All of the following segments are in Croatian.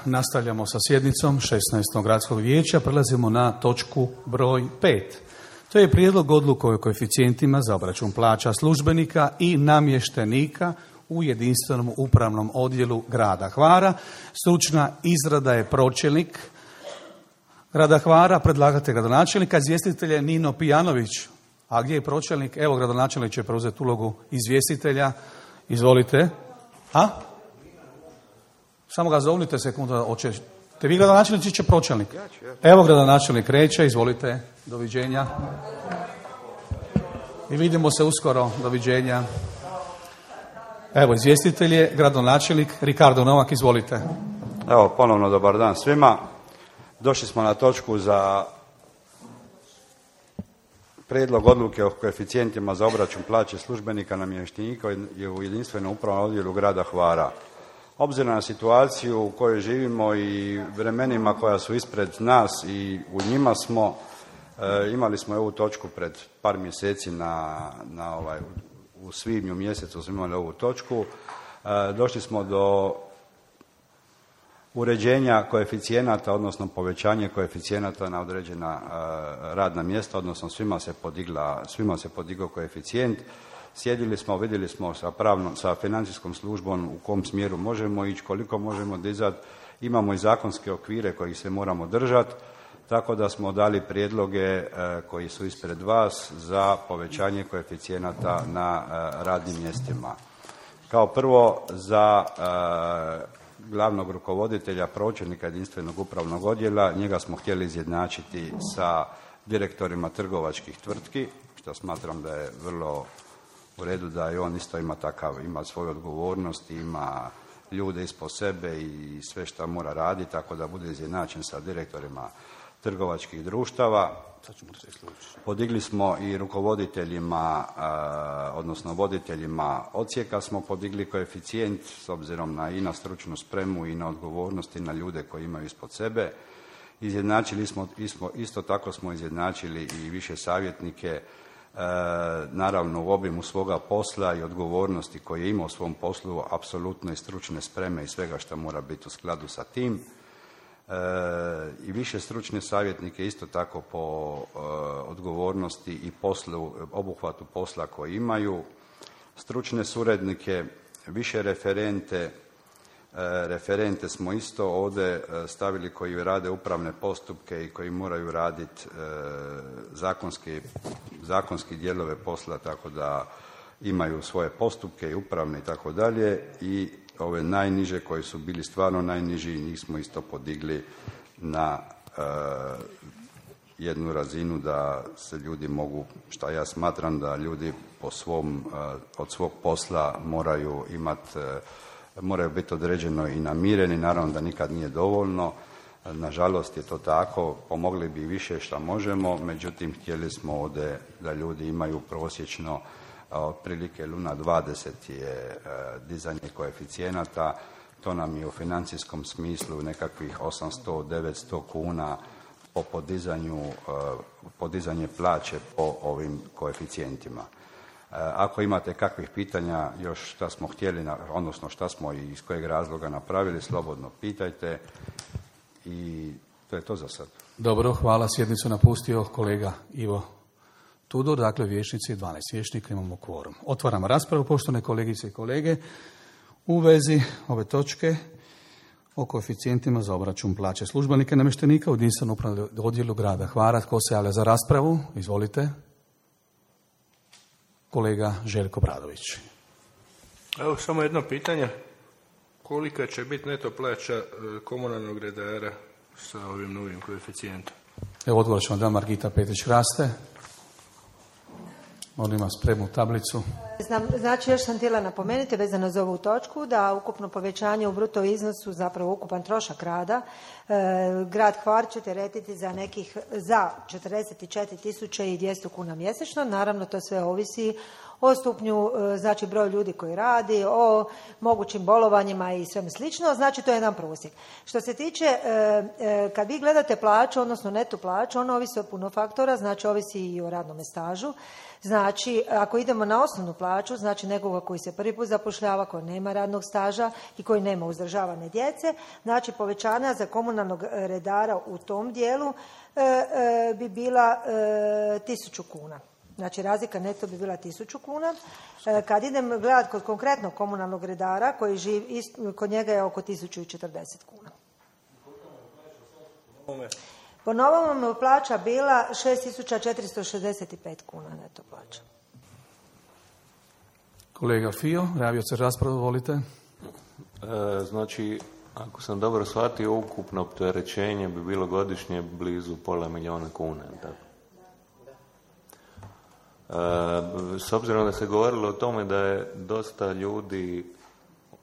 Nastavljamo sa sjednicom 16. gradskog vijeća. Prelazimo na točku broj 5. To je prijedlog odluke o koeficijentima za obračun plaća službenika i namještenika u jedinstvenom upravnom odjelu grada Hvara. Stručna izrada je pročelnik grada Hvara, predlagatelj gradonačelnika, izvjestitelj je Nino Pijanović. A gdje je pročelnik? Evo, gradonačelnik će preuzeti ulogu izvjestitelja. Izvolite. Samo ga zovnite sekundu. Hoćete vi gradonačelnici, će pročelnik? Evo, gradonačelnik kreće. Izvolite. Doviđenja. I vidimo se uskoro. Doviđenja. Evo, izvjestitelj je gradonačelnik Ricardo Novak. Izvolite. Evo, ponovno dobar dan svima. Došli smo na točku za prijedlog odluke o koeficijentima za obračun plaće službenika namještenika je u jedinstvenom upravnom odjelu grada Hvara. Obzirom na situaciju u kojoj živimo i vremenima koja su ispred nas i u njima smo, imali smo ovu točku pred par mjeseci u svibnju mjesecu smo imali ovu točku. Došli smo do uređenja koeficijenata, odnosno povećanje koeficijenata na određena radna mjesta, odnosno svima se podigao koeficijent. Sjedili smo, vidjeli smo sa financijskom službom u kom smjeru možemo ići, koliko možemo dizati. Imamo i zakonske okvire kojih se moramo držati, tako da smo dali prijedloge koji su ispred vas za povećanje koeficijenata na radnim mjestima. Kao prvo, za glavnog rukovoditelja, pročelnika jedinstvenog upravnog odjela, njega smo htjeli izjednačiti sa direktorima trgovačkih tvrtki, što smatram da je vrlo u redu, da i on isto ima svoju odgovornost, ima ljude ispod sebe i sve što mora raditi, tako da bude izjednačen sa direktorima trgovačkih društava. Podigli smo i rukovoditeljima, odnosno voditeljima odsjeka smo podigli koeficijent s obzirom na stručnu spremu i na odgovornost i na ljude koji imaju ispod sebe. Izjednačili smo, isto tako smo izjednačili i više savjetnike, naravno u obimu svoga posla i odgovornosti koje ima u svom poslu, apsolutno i stručne spreme i svega što mora biti u skladu sa tim. I više stručne savjetnike isto tako po odgovornosti i obuhvatu posla koji imaju, stručne suradnike, više referente smo isto ovdje stavili koji rade upravne postupke i koji moraju raditi zakonski dijelove posla, tako da imaju svoje postupke i upravne i tako dalje, i ove najniže koji su bili stvarno najniži, njih smo isto podigli na jednu razinu da se ljudi mogu, što ja smatram da ljudi od svog posla moraju biti određeno i namireni, naravno da nikad nije dovoljno, nažalost je to tako, pomogli bi više što možemo, međutim htjeli smo ovdje da ljudi imaju prosječno otprilike 0,20 je dizanje koeficijenata, to nam je u financijskom smislu nekakvih 800-900 kuna po podizanje plaće po ovim koeficijentima. Ako imate kakvih pitanja još šta smo htjeli, odnosno šta smo i iz kojeg razloga napravili, slobodno pitajte, i to je to za sad. Dobro, hvala. Sjednicu napustio kolega Ivo Tudor, dakle vijećnici, 12 vijećnika, imamo kvorum. Otvaramo raspravu, poštovane kolegice i kolege, u vezi ove točke o koeficijentima za obračun plaće službenika i namještenika u jedinstvenom upravnom odjelu grada Hvara. Tko se javlja za raspravu? Izvolite. Kolega Željko Bradović. Evo samo jedno pitanje. Kolika će biti neto plaća komunalnog redara sa ovim novim koeficijentom? Evo odgovor ćemo da Margita Petrić-Raste. On ima spremnu tablicu. Znači, još sam htjela napomenuti vezano za ovu točku da ukupno povećanje u bruto iznosu, zapravo ukupan trošak rada, grad Hvar će teretiti za 44.200 kuna mjesečno. Naravno, to sve ovisi o stupnju, znači broj ljudi koji radi, o mogućim bolovanjima i sve slično, znači to je jedan prosjek. Što se tiče, kad vi gledate plaću, odnosno neto plaću, ona ovisi o puno faktora, znači ovisi i o radnom stažu. Znači, ako idemo na osnovnu plaću, znači nekoga koji se prvi put zapošljava, koji nema radnog staža i koji nema uzdržavane djece, znači povećanja za komunalnog redara u tom dijelu bi bila 1000 kuna. Znači, razlika neto bi bila 1000 kuna. Kad idem gledati kod konkretnog komunalnog redara, koji živi, kod njega je oko 1040 kuna. Po novom mu plaća bila 6465 kuna neto plaća. Kolega Fio, javio se raspravu, volite. Znači, ako sam dobro shvatio, ukupno opterećenje bi bilo godišnje blizu $500.000 kuna. Tako? S obzirom da se govorilo o tome da je dosta ljudi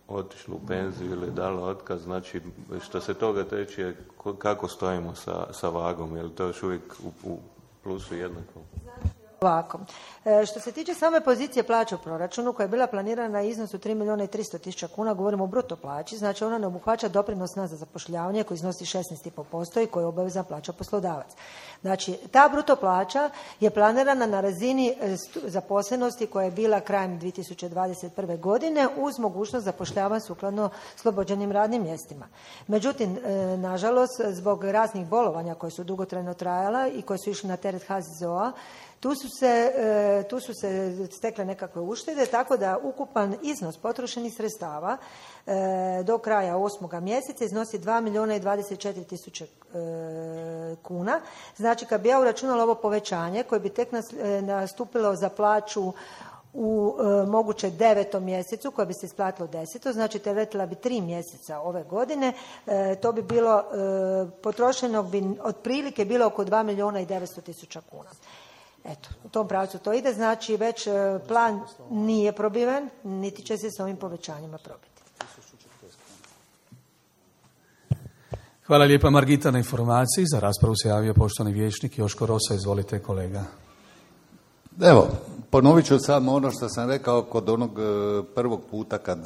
otišlo u penziju ili dalo otkaz, znači što se toga tiče, kako stojimo sa vagom, je li to još uvijek u plusu jednako? Ovako, što se tiče same pozicije plaće u proračunu koja je bila planirana na iznosu 3.300.000 kuna, govorimo o bruto plaći, znači ona ne obuhvaća doprinos na zapošljavanje koji iznosi 16,5% i koji je obavezna plaća poslodavac. Znači, ta bruto plaća je planirana na razini zaposlenosti koja je bila krajem 2021. godine uz mogućnost zapošljavanja sukladno slobođenim radnim mjestima. Međutim, nažalost, zbog raznih bolovanja koje su dugotrajno trajala i koje su išli na teret HZZO-a, tu su se stekle nekakve uštede, tako da ukupan iznos potrošenih sredstava do kraja 8. mjeseca iznosi 2.024.000 kuna. Znači, kad bi ja uračunala ovo povećanje koje bi tek nastupilo za plaću u moguće 9. mjesecu, koja bi se isplatilo 10. znači teretila bi 3 mjeseca ove godine, to bi bilo, potrošenog bi otprilike bilo oko 2.900.000 kuna. Eto, u tom pravcu to ide, znači već plan nije probiven, niti će se s ovim povećanjima probiti. Hvala lijepa Margita na informaciji. Za raspravu se javio poštovani vijećnik Joško Rosa. Izvolite kolega. Evo, ponovit ću samo ono što sam rekao kod onog prvog puta kad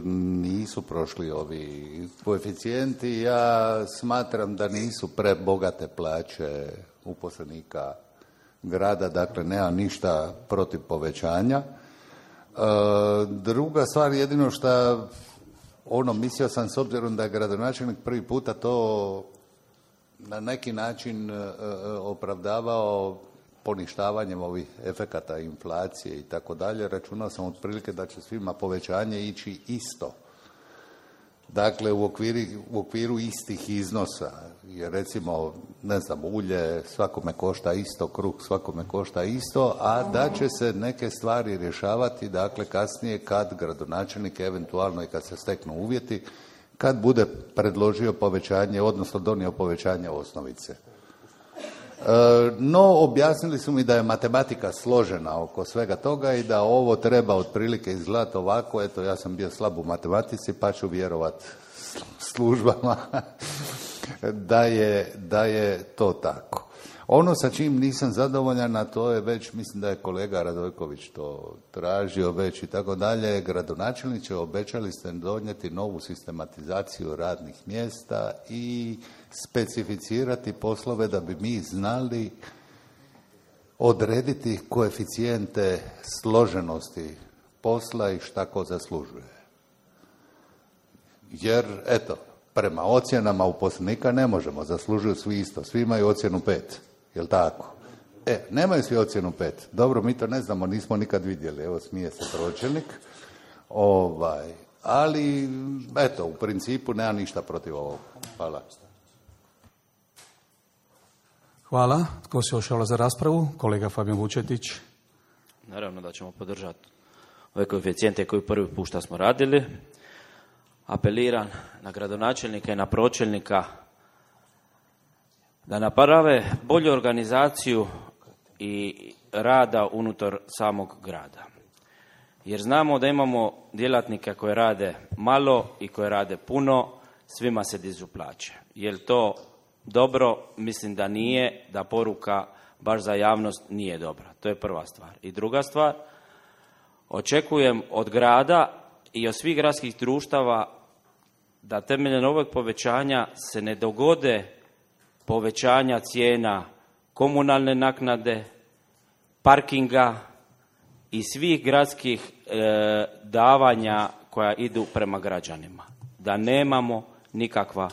nisu prošli ovi koeficijenti. Ja smatram da nisu prebogate plaće uposlenika grada, dakle nema ništa protiv povećanja. Druga stvar, jedino što mislio sam s obzirom da je gradonačelnik prvi puta to na neki način opravdavao poništavanjem ovih efekata inflacije i tako dalje, računao sam otprilike da će svima povećanje ići isto. Dakle, u okviru istih iznosa, jer recimo, ne znam, ulje svakome košta isto, kruh svakome košta isto, a da će se neke stvari rješavati, dakle, kasnije kad gradonačelnik, eventualno i kad se steknu uvjeti, kad bude predložio povećanje, odnosno donio povećanje osnovice. No, objasnili su mi da je matematika složena oko svega toga i da ovo treba otprilike izgledati ovako. Eto, ja sam bio slab u matematici pa ću vjerovati službama da je to tako. Ono sa čim nisam zadovoljan, a to je već, mislim da je kolega Radojković to tražio već i tako dalje, gradonačelniče, obećali ste donijeti novu sistematizaciju radnih mjesta i specificirati poslove da bi mi znali odrediti koeficijente složenosti posla i šta ko zaslužuje. Jer, eto, prema ocjenama uposlenika ne možemo, zaslužuju svi isto, svi imaju ocjenu 5, jel tako? Nemaju svi ocjenu 5, dobro, mi to ne znamo, nismo nikad vidjeli, evo smije se pročelnik, ali, eto, u principu nema ništa protiv ovog. Hvala. Hvala. Tko se još javlja za raspravu? Kolega Fabijan Vučetić. Naravno da ćemo podržati ove koeficijente koje prvi put što smo radili. Apeliram na gradonačelnika i na pročelnika da naprave bolju organizaciju i rada unutar samog grada. Jer znamo da imamo djelatnike koji rade malo i koji rade puno, svima se dižu plaće. Je li to dobro? Mislim da nije, da poruka baš za javnost nije dobra. To je prva stvar. I druga stvar, Očekujem od grada i od svih gradskih društava da temeljem ovog povećanja se ne dogode povećanja cijena komunalne naknade, parkinga i svih gradskih davanja koja idu prema građanima. Da nemamo nikakva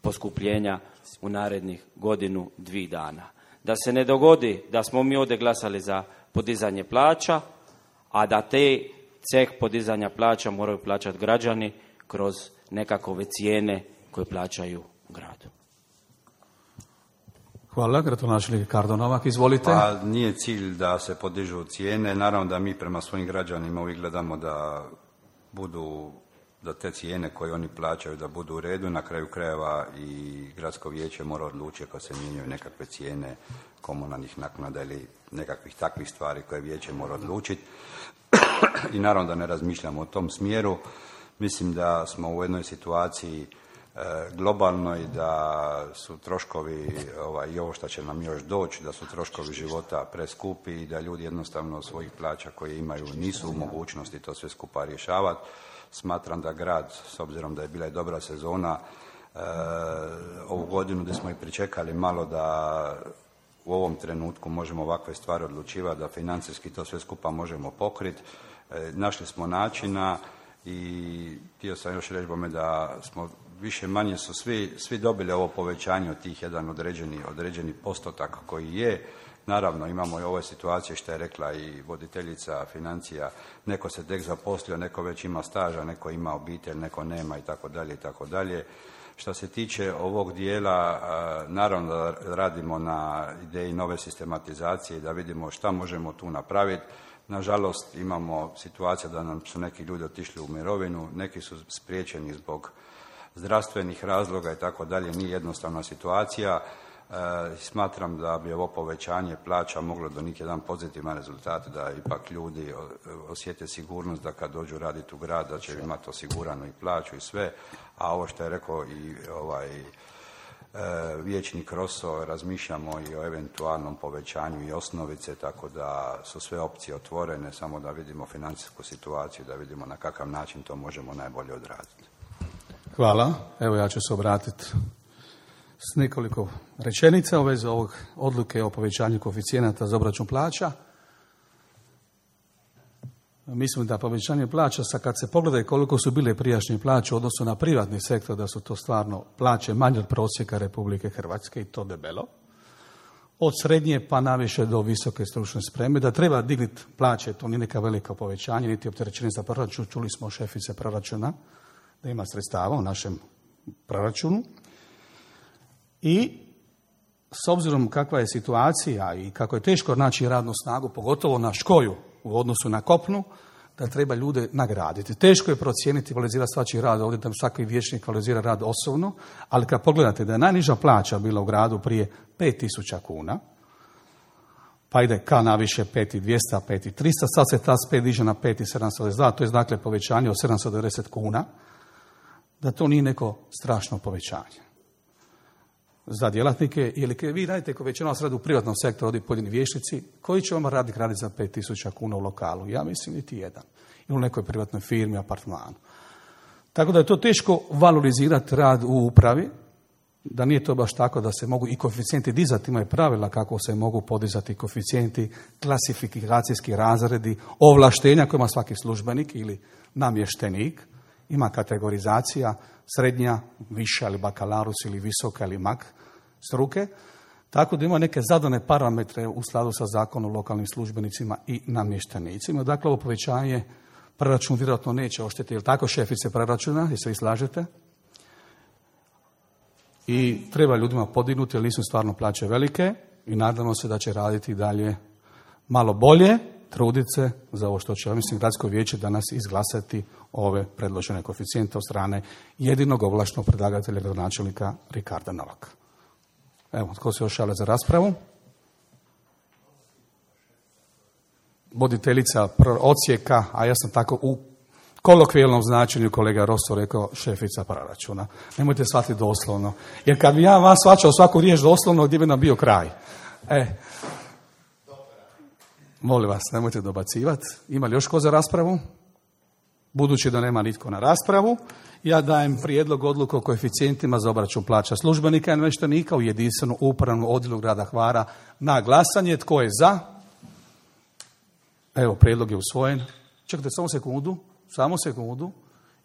poskupljenja u narednih godinu, 2 dana. Da se ne dogodi da smo mi ovdje glasali za podizanje plaća, a da te ceh podizanja plaća moraju plaćati građani kroz nekakove cijene koje plaćaju u gradu. Hvala, gradonačelnik Ricardo Novak, izvolite. Pa nije cilj da se podižu cijene, naravno da mi prema svojim građanima uvijek gledamo da te cijene koje oni plaćaju da budu u redu, na kraju krajeva i gradsko vijeće mora odlučiti ako se mijenjaju nekakve cijene komunalnih naknada ili nekakvih takvih stvari koje vijeće mora odlučiti. I naravno da ne razmišljamo u tom smjeru. Mislim da smo u jednoj situaciji globalnoj, da su troškovi i ovo što će nam još doći, da su troškovi života preskupi i da ljudi jednostavno svojih plaća koje imaju nisu u mogućnosti to sve skupa rješavati. Smatram da grad, s obzirom da je bila i dobra sezona, ovu godinu gdje smo i pričekali malo da u ovom trenutku možemo ovakve stvari odlučivati, da financijski to sve skupa možemo pokriti. Našli smo načina i htio sam još reći bome da smo više manje su svi dobili ovo povećanje od tih jedan određeni postotak koji je. Naravno, imamo i ove situacije što je rekla i voditeljica financija, neko se tek zaposlio, neko već ima staža, neko ima obitelj, neko nema itd. Što se tiče ovog dijela, naravno da radimo na ideji nove sistematizacije i da vidimo šta možemo tu napraviti. Nažalost, imamo situacije da nam su neki ljudi otišli u mirovinu, neki su spriječeni zbog zdravstvenih razloga i tako dalje, nije jednostavna situacija. Smatram da bi ovo povećanje plaća moglo donijeti jedan pozitivan rezultat, da ipak ljudi osjete sigurnost da kad dođu raditi u grad da će imati osiguranu i plaću i sve, a ovo što je rekao i vijećnik Rosso, razmišljamo i o eventualnom povećanju i osnovice, tako da su sve opcije otvorene, samo da vidimo financijsku situaciju, da vidimo na kakav način to možemo najbolje odraditi. Hvala. Evo ja ću se obratiti s nekoliko rečenica u vezi ovog odluke o povećanju koeficijenata za obračun plaća. Mislim da povećanje plaća, kad se pogledaju koliko su bile prijašnje plaće u odnosu na privatni sektor, da su to stvarno plaće manje od prosjeka Republike Hrvatske i to debelo. Od srednje pa naviše do visoke stručne spreme, da treba dignuti plaće, to nije neka velika povećanje, niti opterećenje za proračun. Čuli smo šefice proračuna da ima sredstava u našem proračunu. I s obzirom kakva je situacija i kako je teško naći radnu snagu, pogotovo na škoju u odnosu na kopnu, da treba ljude nagraditi. Teško je procijeniti, valorizirati svačiji rad, ovdje da svaki vijećnik valorizira rad osobno, ali kad pogledate da je najniža plaća bila u gradu prije 5.000 kuna, pa ide ka naviše 5.200, 5.300, sad se ta spet diže na 5.722, to je dakle povećanje od 790 kuna, da to nije neko strašno povećanje za djelatnike, ili vi radite, ko većina vas radi u privatnom sektoru, ovdje pojedini vijećnici, koji će vam raditi za 5.000 kuna u lokalu? Ja mislim niti jedan. Ili u nekoj privatnoj firmi, apartmanu. Tako da je to teško valorizirati rad u upravi, da nije to baš tako da se mogu i koeficijenti dizati, imaju pravila kako se mogu podizati koeficijenti, klasifikacijski razredi, ovlaštenja koje ima svaki službenik ili namještenik, ima kategorizacija, srednja, viša ili bakalarus ili visoka ili mak struke, tako da ima neke zadane parametre u skladu sa zakonom o lokalnim službenicima i namještenicima. Dakle, ovo povećanje proračun vjerojatno neće oštetiti. Je li tako, šefice proračuna? Jel se vi slažete? I treba ljudima podignuti, jer nisu stvarno plaće velike i nadamo se da će raditi dalje malo bolje, truditi se za ovo što će, mislim, gradsko vijeće danas izglasati ove predložene koeficijente od strane jedinog ovlaštenog predlagatelja, gradonačelnika Ricarda Novaka. Evo, tko se još javlja za raspravu? Voditeljica odsjeka, a ja sam tako u kolokvijalnom značenju kolega Rosso rekao šefica proračuna. Nemojte shvatiti doslovno. Jer kad bi ja vas shvaćao svaku riječ doslovno, gdje bi nam bio kraj? Molim vas, nemojte dobacivati. Ima li još ko za raspravu? Budući da nema nitko na raspravu, ja dajem prijedlog odluke o koeficijentima za obračun plaća službenika i namještenika u jedinstvenu upravnu odjelu grada Hvara na glasanje. Tko je za? Evo, prijedlog je usvojen. Čekajte, samo sekundu.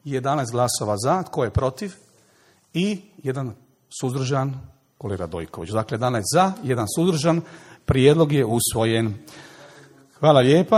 11 glasova za, tko je protiv? I jedan suzdržan, kolega Dojković. Dakle, 11 za, jedan suzdržan, prijedlog je usvojen. Hvala lijepa.